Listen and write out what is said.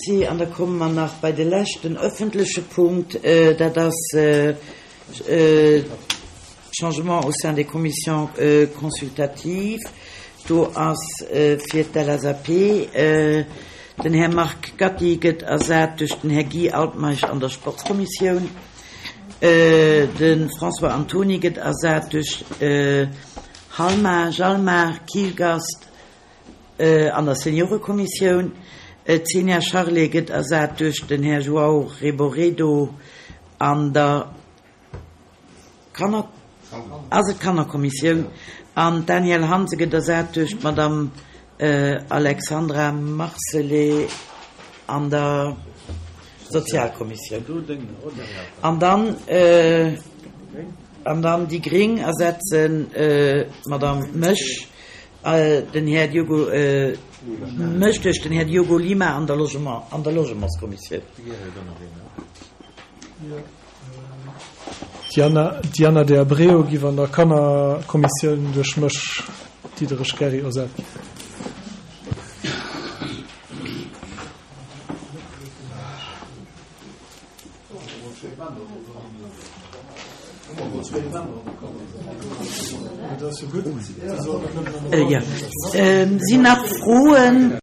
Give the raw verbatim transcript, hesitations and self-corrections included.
Merci. An da komme mer nach bei de leschten öffentleche Punkt, dat ass Changement au sein des commissions consultatives. Do ass fir d'LSAP den Här Marc Gatti gëtt ersat duerch den Här Guy Altmeisch an der Sportskommissioun. De François Antony gëtt ersat duerch Halma, Jalmar Kielgast an der Seniorekommissioun. D'Xenia Charlé gëtt ersat duerch den Här João Reboredo an der Kanner, ass et d'Kannerkommissioun? An d'Danièle Hansen gëtt ersat duerch d'Madame Alexandra Marcelet an der Sozialkommissioun. An dann, an dann déi Gring ersetzen d'Madame mech, den Här Diogo, mech duerch den Här Diogo Lima an der Logement, an der Logementskommissioun. D'Diana de Abreu giff an der Kannerkommissioun duerch mech, Diderich Gerry, ersat ginn. Sinn nach Froen?